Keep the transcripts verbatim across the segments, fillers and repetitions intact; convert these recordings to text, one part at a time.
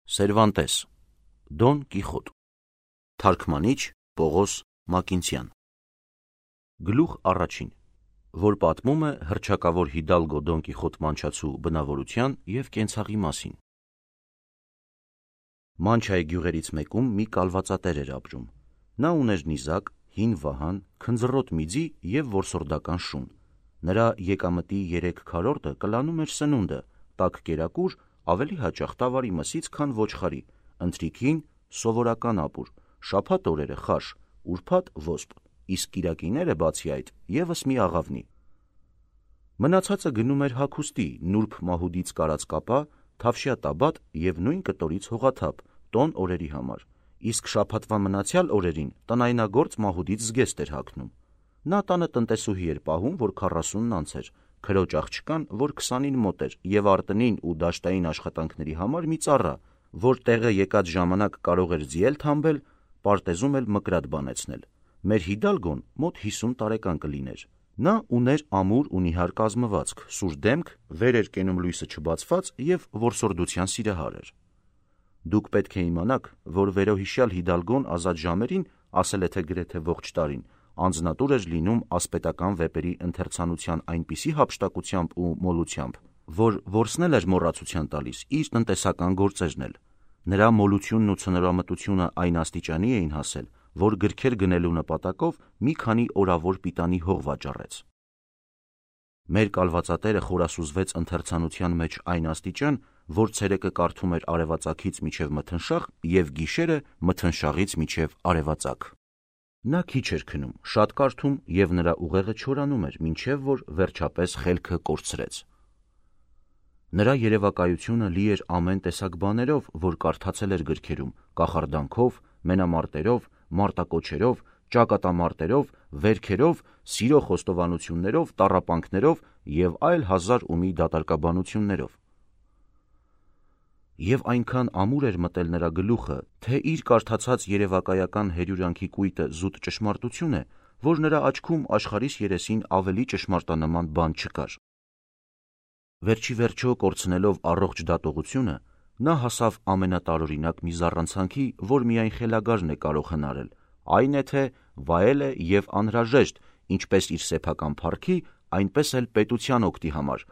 Սերվանտես, Դոն Կիխոտ, թարգմանիչ Պողոս Մակինցյան։ Գլուխ առաջին, որ պատմում է հռչակավոր Հիդալգո Դոն Կիխոտ Մանչացու բնավորության և կենցաղի մասին։ Մանչայի գյուղերից մեկում մի կալվածատեր էր ապրում։ Նա ուներ նիզակ, հին վահան, քնձռոտ միձի և որսորդական շուն։ Նրա եկամտի երեք քառորդը կլանում էր սնունդը, տաք կերակուր, ավելի հաճախ տավարի մսից, քան ոչխարի, ընթրիքին սովորական ապուր, շաբաթ օրերը խաշ, ուրբաթ ոսպ, իսկ կիրակիները բացի այդ ևս մի աղավնի։ Մնացածը գնում էր հագուստի, նուրբ մահուդից կարած կապա, թավշյա տաբատ և նույն կտորից հողաթափ, տոն օրերի համար, իսկ շաբաթվա մնացյալ օրերին տնայնագործ մահուդից զգեստ էր հագնում։ Նա տանը տնտեսուհի էր պահում, որ քառասունն անց էր, քրոջ աղջկան, որ քսանին մոտ էր, և արտնին ու դաշտային աշխատանքների համար մի ծառա, որ տեղը եկած ժամանակ կարող էր ձիել թամբել, պարտեզում էլ մկրատ բանեցնել։ Մեր Հիդալգոն մոտ հիսուն տարեկան կլիներ։ Նա ուներ ամուր ու նիհար կազմվածք, սուր դեմք, վեր էր կենում լույսը չբացված և որսորդության սիրահար էր։ Դուք պետք է իմանաք, որ վերոհիշյալ Հիդալգոն ազատ ժամերին, ասել է թե գրեթե ողջ տարին, անձնատուր էր լինում ասպետական վեպերի ընթերցանության այնպիսի հափշտակությամբ ու մոլությամբ, որ որսնել էր մոռացության տալիս իր տնտեսական գործերն էլ։ Նրա մոլությունն ու ցնորամտությունը այն աստիճանի էին հասել, որ գրքեր գնելու նպատակով մի քանի օրավոր պիտանի հող վաճառեց։ Մեր կալվածատերը խորասուզվեց ընթերցանության մեջ այն աստիճան, որ ցերեկը կարդում էր արևածագից մինչև մթնշաղ և գիշերը մթնշաղից մինչև արևածագ։ Նա քիչ էր քնում, շատ կարդում, և նրա ուղեղը չորանում էր, մինչև որ վերջապես խելքը կորցրեց։ Նրա երևակայությունը լի էր ամեն տեսակ բաներով, որ կարդացել էր գրքերում, կախարդանքով, մենամարտերով, մարտակոչերով, ճակատամարտերով, վերքերով, սիրո խոստովանություններով, տառապանքներով և այլ հազար ու մի դատարկաբանություններով։ Եվ այնքան ամուր էր մտել նրա գլուխը, թե իր կարդացած երևակայական հերյուրանքի կույտը զուտ ճշմարտություն է, որ նրա աչքում աշխարհիս երեսին ավելի ճշմարտանման բան չկար։ Վերջի վերջո կորցնելով առողջ դատողությունը, նա հասավ ամենատարօրինակ մի զառանցանքի, որ միայն խելագարն է կարող հնարել, այն է թե վայել է և անհրաժեշտ ինչպես իր սեփական փառքի, այնպես էլ պետության օգտի համար,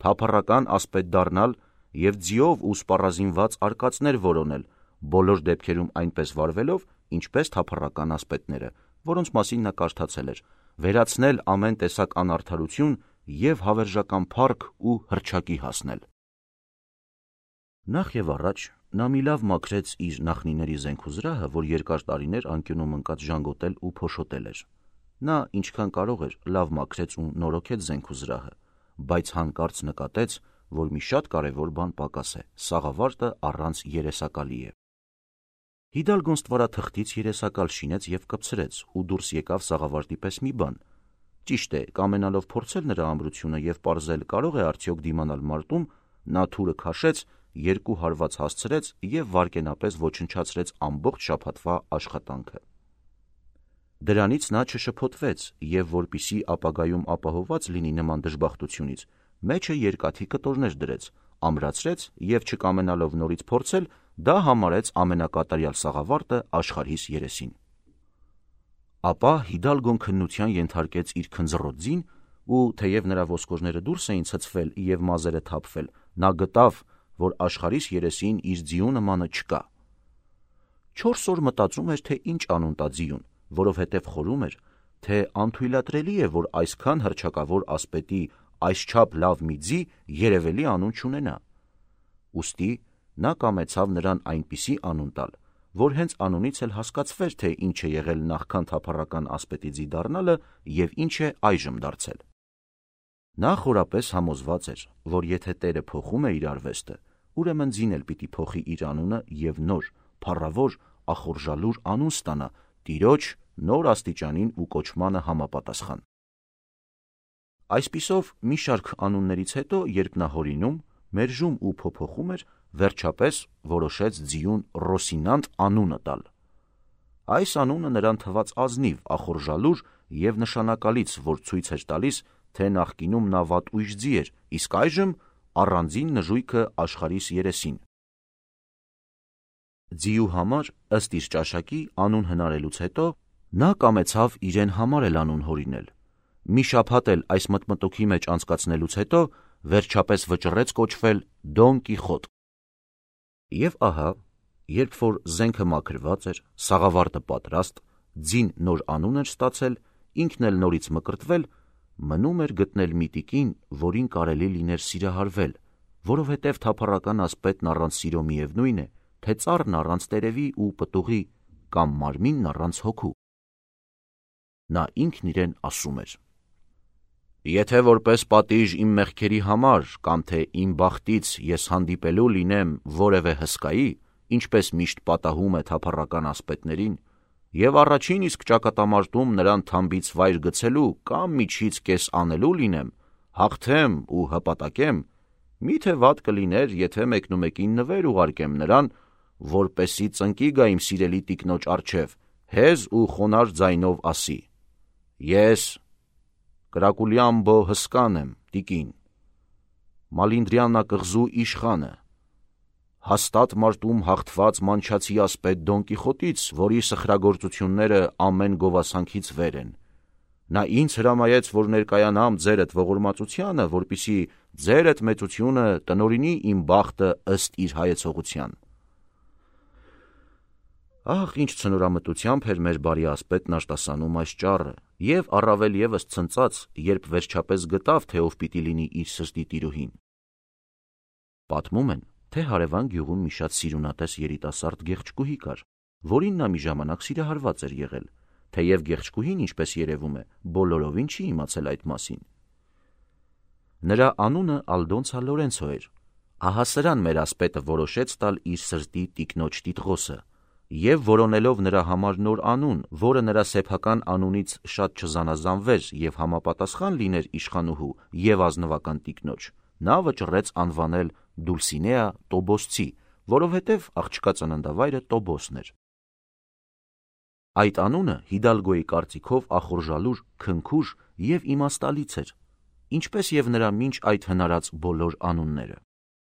թափառական ասպետ դառնալ և ձիով ու սպառազինված արկածներ որոնել, բոլոր դեպքերում այնպես վարվելով, ինչպես թափառական ասպետները, որոնց մասին նա կարդացել էր, վերացնել ամեն տեսակ անարդարություն և հավերժական փառք ու հռչակի հասնել։ Նախ և առաջ նա մի լավ մաքրեց իր նախնիների զենքուզրահը, որ երկար տարիներ անկյունում ընկած ժանգոտել ու փոշոտել էր։ Նա ինչքան կարող էր լավ մաքրեց ու նորոգեց զենքուզրահը, բայց հանկարծ նկատեց, որ մի շատ կարևոր բան պակաս է՝ սաղավարտը առանց երեսակալի է։ Հիդալգոն ստվարաթղթից երեսակալ շինեց և կպցրեց ու դուրս եկավ սաղավարտի պես մի բան։ Ճիշտ է, կամենալով փորձել նրա ամրությունը և պարզել կարող է արդյոք դիմանալ մարտում, նա թուրը քաշեց, երկու հարված հասցրեց և վայրկենապես ոչնչացրեց ամբողջ շաբաթվա աշխատանքը։ Դրանից նա չշփոթվեց և, որպեսզի ապագայում ապահովված լինի նման դժբախտությունից, մեջը երկաթի կտորներ դրեց, ամրացրեց և չկամենալով նորից փորձել, դա համարեց ամենակատարյալ սաղավարտը աշխարհիս երեսին։ Ապա Հիդալգոն քննության ենթարկեց իր քնձռոտ ձին ու, թեև նրա ոսկորները դուրս էին ցցվել և մազերը թափվել, նա գտավ, որ աշխարհիս երեսին իր ձիու նմանը չկա։ Չորս օր մտածում էր, թե ինչ անուն տա ձիուն, որովհետև խորում էր, թե անթույլատրելի է, որ այսքան հռչակավոր ասպետի այսչափ լավ մի ձի երևելի անուն չունենա։ Ուստի նա կամեցավ նրան այնպիսի անուն տալ, որ հենց անունից էլ հասկացվեր, թե ինչ է եղել նախքան թափառական ասպետի ձի դառնալը և ինչ է այժմ դարձել։ Նա խորապես համոզված էր, որ եթե Տերը փոխում է իր արվեստը, ուրեմն ձին էլ պիտի փոխի իր անունը և նոր, փառավոր, ախորժալուր անուն ստանա Տիրոջ նոր աստիճանին ու կոչմանը համապատասխան։ Այսպիսով, մի շարք անուններից հետո, երբ նա հորինում, մերժում ու փոփոխում էր, վերջապես որոշեց ձիուն Ռոսինանտ անունը տալ։ Այս անունը նրան թվաց ազնիվ, ախորժալուր և նշանակալից, որ ցույց էր տալիս, թե նախկինում նա վատույժ ձի էր, իսկ այժմ առանձին նժույգը աշխարհիս երեսին։ Ձիու համար, ըստ իր ճաշակի, անուն հնարելուց հետո նա կամեցավ իրեն համար էլ անուն հորինել։ Մի շաբաթ էլ այս մտմտոքի մեջ անցկացնելուց հետո վերջապես վճռեց կոչվել Դոն Կիխոտ։ Եվ ահա, երբ որ զենքը մաքրված էր, սաղավարտը պատրաստ, ձին նոր անուն էր ստացել, ինքն էլ նորից մկրտվել, մնում էր գտնել մի տիկին, որին կարելի լիներ սիրահարվել, որովհետև թափառական ասպետն առանց սիրո միևնույն է, թե ծառն առանց տերևի ու պտուղի, կամ մարմինն առանց հոգու։ Նա ինքն իրեն ասում էր. «Եթե որպես պատիժ իմ մեղքերի համար, կամ թե իմ բախտից ես հանդիպելու լինեմ որևէ հսկայի, ինչպես միշտ պատահում է թափառական ասպետներին, և առաջին իսկ ճակատամարտում նրան թամբից վայր գցելու կամ միջից կես անելու լինեմ, հաղթեմ ու հպատակեմ, միթե վատ կլիներ, եթե մեկնումեկին նվեր ուղարկեմ նրան, որպեսզի ծնկի գա իմ սիրելի տիկնոջ առջև, հեզ ու խոնարհ ձայնով ասի. «Ես Կրակուլյամբո Հսկան եմ, տիկին, Մալինդրյանա կղզու իշխանը, հաստատ մարտում հաղթված մանչացի ասպետ Դոն Կիխոտից, որի սխրագործությունները ամեն գովասանքից վեր են։ Նա ինձ հրամայեց, որ ներկայանամ ձերդ ողորմածությանը, որպեսզի ձերդ մեծությունը տնօրինի իմ բախտը ըստ իր հայեցողության»։ Ահ, ինչ ցնորամտությամբ էր մեր բարի ասպետն արտասանում այս ճառը, և առավել ևս ցնծաց, երբ վերջապես գտավ, թե ով պիտի լինի իր սրտի տիրուհին։ Պատմում են, թե հարևան գյուղում մի շատ սիրունատես երիտասարդ գեղեցկուհի կար, որին նա մի ժամանակ սիրահարված էր եղել, թեև գեղեցկուհին, ինչպես երևում է, բոլորովին չի իմացել այդ մասին։ Նրա անունը Ալդոնցա Լորենցո էր։ Ահա սրան մեր ասպետը որոշեց տալ իր սրտի տիկնոջ տիտղոսը, և որոնելով նրա համար նոր անուն, որը նրա սեփական անունից շատ չզանազանվեր և համապատասխան լիներ իշխանուհու և ազնվական տիկնոջ, նա վճռեց անվանել Դուլսինեա Տոբոսցի, որովհետև աղջկա ծննդավայրը Տոբոսն էր։ Այդ անունը Հիդալգոյի կարծիքով ախորժալուր, քնքուշ և իմաստալից էր, ինչպես և նրա մինչ այդ հնարած բոլոր անունները։